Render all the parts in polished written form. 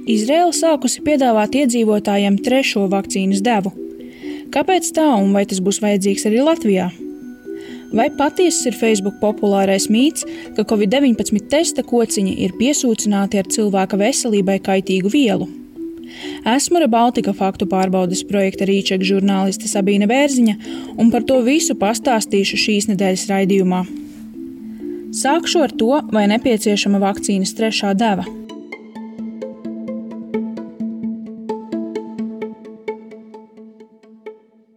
Izraela sākusi piedāvāt iedzīvotājiem 3. vakcīnas devu. Kāpēc tā un vai tas būs vajadzīgs arī Latvijā? Vai patiesas ir Facebook populārais mīts, ka Covid-19 testa kociņi ir piesūcināti ar cilvēka veselībai kaitīgu vielu? Esmu Rebaltika faktu pārbaudes projekta Rīčeka žurnāliste Sabīne Bērziņa un par to visu pastāstīšu šīs nedēļas raidījumā. Sākšu ar to, vai nepieciešama vakcīnas 3. deva.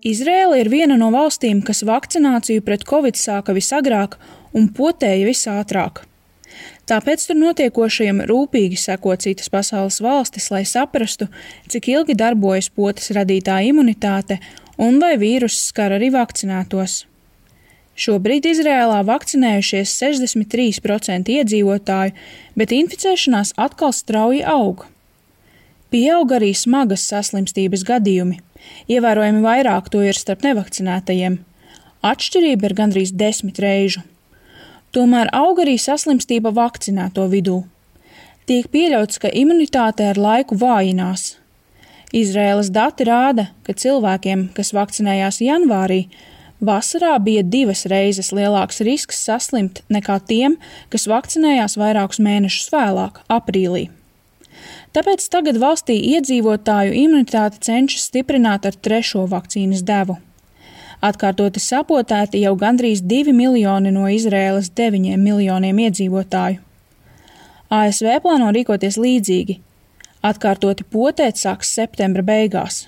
Izraela ir viena no valstīm, kas vakcināciju pret Covid sāka visagrāk un potēja visātrāk. Tāpēc tur notiekošajam rūpīgi seko citas pasaules valstis, lai saprastu, cik ilgi darbojas potes radītā imunitāte un vai vīruss skar arī vakcinētos. Šobrīd Izrēlā vakcinējušies 63% iedzīvotāju, bet inficēšanās atkal strauji aug. Pieaug arī smagas saslimstības gadījumi. Ievērojami vairāk to ir starp nevakcinētajiem. Atšķirība ir gandrīz 10 reižu. Tomēr aug arī saslimstība vakcinēto vidū. Tiek pieļauts, ka imunitāte ar laiku vājinās. Izraēlas dati rāda, ka cilvēkiem, kas vakcinējās janvārī, vasarā bija 2 reizes lielāks risks saslimt nekā tiem, kas vakcinējās vairākus mēnešus vēlāk, aprīlī. Tāpēc tagad valstī iedzīvotāju imunitāti cenšas stiprināt ar 3. vakcīnas devu. Atkārtoti sapotēti jau gandrīz 2 miljoni no Izraēlas 9 miljoniem iedzīvotāju. ASV plāno rīkoties līdzīgi. Atkārtoti potēt sāks septembra beigās.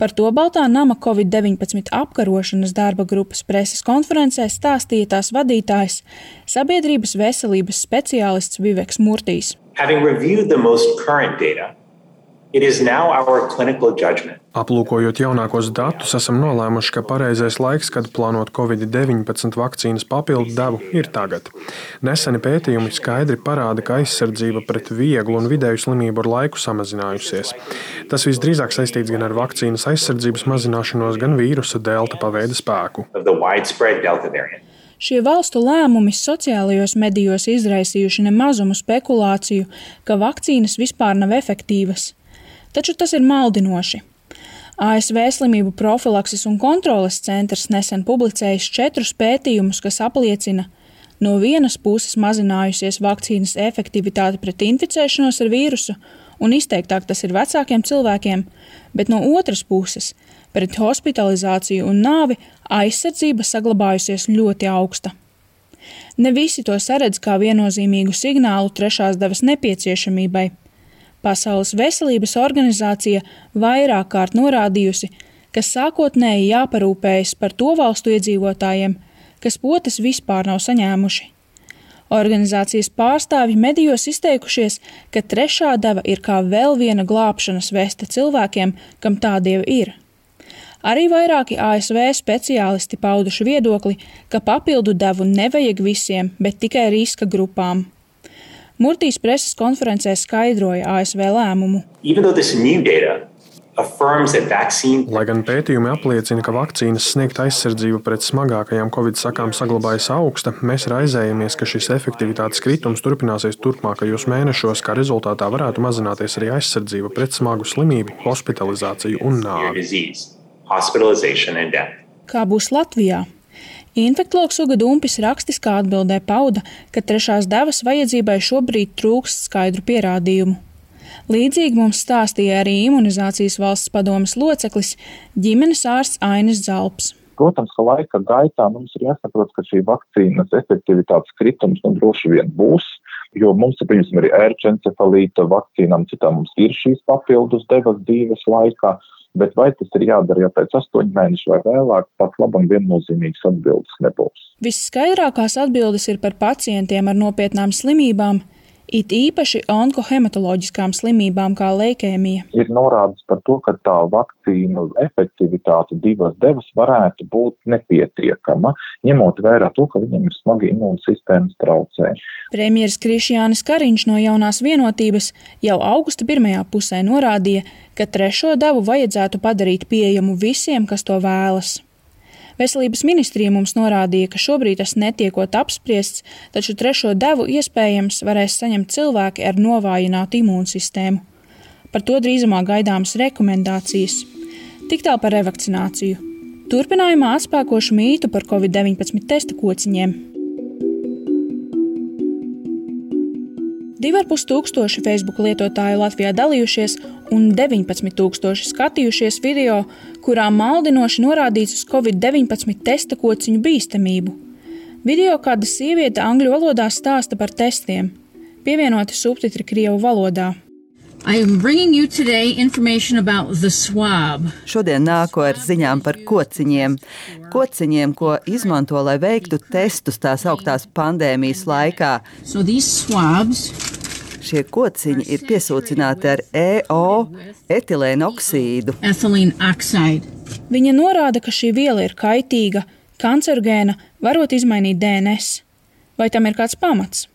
Par to Baltā nama Covid-19 apkarošanas darba grupas preses konferencē stāstīja tās vadītājs, sabiedrības veselības speciālists Viveks Murtijs. Having reviewed the most current data, it is now our clinical judgment. Aplūkojot jaunākos datus, esam nolēmuši, ka pareizais laiks, kad plānot Covid-19 vakcīnas papildu devu, ir tagad. Neseni pētījumi skaidri parāda, ka aizsardzība pret vieglu un vidēju slimību ar laiku samazinājusies. Tas visdrīzāk saistīts gan ar vakcīnas aizsardzības mazināšanos, gan vīrusa delta paveida spēku. Šie valstu lēmumi sociālajos medijos izraisījuši nemazumu spekulāciju, ka vakcīnas vispār nav efektīvas. Taču tas ir maldinoši. ASV slimību profilakses un kontroles centrs nesen publicējis 4 pētījumus, kas apliecina, no vienas puses mazinājusies vakcīnas efektivitāte pret inficēšanos ar vīrusu, un izteiktāk tas ir vecākiem cilvēkiem, bet no otras puses pret hospitalizāciju un nāvi aizsardzība saglabājusies ļoti augsta. Ne visi to saredz kā viennozīmīgu signālu 3. devas nepieciešamībai. Pasaules veselības organizācija vairāk kārt norādījusi, ka sākotnēji jāparūpējas par to valstu iedzīvotājiem, kas potes vispār nav saņēmuši. Organizācijas pārstāvji medijos izteikušies, ka 3. deva ir kā vēl viena glābšanas veste cilvēkiem, kam tāda jau ir. Arī vairāki ASV speciālisti pauduši viedokli, ka papildu devu nevajag visiem, bet tikai riska grupām. Murtijs preses konferencē skaidroja ASV lēmumu. Lai gan pētījumi apliecina, ka vakcīnas sniegta aizsardzība pret smagākajām Covid sakām saglabājas augsta, mēs raizējamies, ka šis efektivitātes kritums turpināsies turpmākajos mēnešos, kā rezultātā varētu mazināties arī aizsardzība pret smagu slimību, hospitalizāciju un nāvi. Kā būs Latvijā? Infektologs Uga Dumpis rakstiskā atbildē pauda, ka 3. devas vajadzībai šobrīd trūkst skaidru pierādījumu. Līdzīgi mums stāstīja arī imunizācijas valsts padomes loceklis, ģimenes ārsts Ainis Zalps. Protams, ka laika gaitā mums ir jāsaprot, ka šī vakcīnas efektivitātes kritums droši vien būs, jo mums ir, piemēram, arī ērčencefalīta vakcīnām, citām mums ir šīs papildus devas dzīves laikā. Bet vai tas ir jādara jau pēc 8 mēnešu vai vēlāk, pat labam viennozīmīgas atbildes nebūs. Visskaidrākās atbildes ir par pacientiem ar nopietnām slimībām, it īpaši onkohematoloģiskām slimībām kā leikēmija. Ir norādes par to, ka tā vakcīnu efektivitāte 2 devas varētu būt nepietiekama, ņemot vērā to, ka viņiem ir smagi imūnsistēmas traucējumi. Premjeras Krišjānis Kariņš no Jaunās vienotības jau augusta 1. pusē norādīja, ka 3. devu vajadzētu padarīt pieejamu visiem, kas to vēlas. Veselības ministrija mums norādīja, ka šobrīd tas netiekot apspriests, taču 3. devu iespējams varēs saņemt cilvēki ar novājinātu imūnsistēmu. Par to drīzumā gaidāmas rekomendācijas. Tik tālu par revakcināciju. Turpinājumā atspēkošu mītu par Covid-19 testa kociņiem. 2500 Facebook lietotāju Latvijā dalījušies un 19,000 skatījušies video, kurā maldinoši norādīts uz Covid-19 testa kociņu bīstamību. Video kāda sieviete angļu valodā stāsta par testiem. Pievienoti subtitri krievu valodā. I am bringing you today information about the swab. Šodien nāku ar ziņām par kociņiem. Kociņiem, ko izmanto, lai veiktu testus tās augtās pandēmijas laikā. So these swabs Šie kociņi ir piesūcināti ar EO, etilēna oksīdu. ethylene oxide. Viņa norāda, ka šī viela ir kaitīga, kancerogēna, varot izmainīt DNS. Vai tam ir kāds pamats?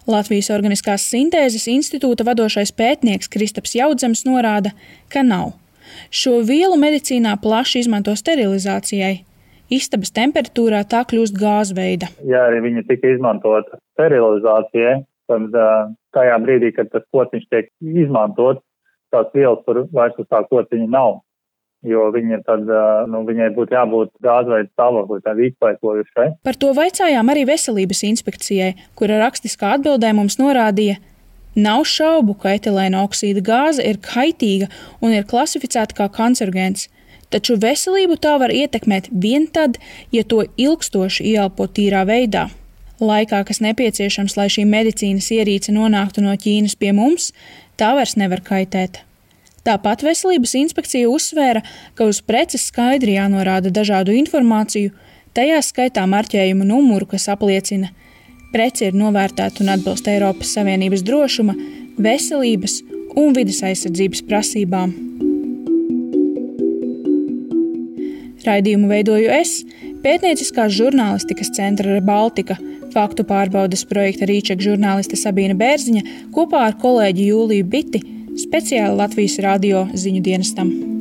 Latvijas Organiskās sintēzes institūta vadošais pētnieks Kristaps Jaudzems norāda, ka nav. Šo vielu medicīnā plaši izmanto sterilizācijai. Istabas temperatūrā tā kļūst gāzveida. Ja arī viņa tika izmantota sterilizācijai, tad tajā brīdī, kad tas kociņš tiek izmantot, tās vielas tur vairs uz tā kociņa nav. Jo viņai būtu jābūt gāzveida stāvoklī, tā izpaikojušai. Par to vaicājām arī Veselības inspekcijai, kura rakstiskā atbildē mums norādīja, nav šaubu, ka etilēna oksīda gāze ir kaitīga un ir klasificēta kā kancerogēns, taču veselību tā var ietekmēt vien tad, ja to ilgstoši ieelpo tīrā veidā. Laikā, kas nepieciešams, lai šī medicīnas ierīce nonāktu no Ķīnas pie mums, tā vairs nevar kaitēt. Tāpat Veselības inspekcija uzsvēra, ka uz preces skaidri jānorāda dažādu informāciju, tajā skaitā marķējumu numuru, kas apliecina, prece ir novērtēta un atbilst Eiropas Savienības drošuma, veselības un vides aizsardzības prasībām. Raidījumu veidoju es, pētnieciskās žurnālistikas centra Baltika, faktu pārbaudes projekta Rīčeka žurnāliste Sabīna Bērziņa kopā ar kolēģi Jūliju Biti, speciāli Latvijas radio ziņu dienestam.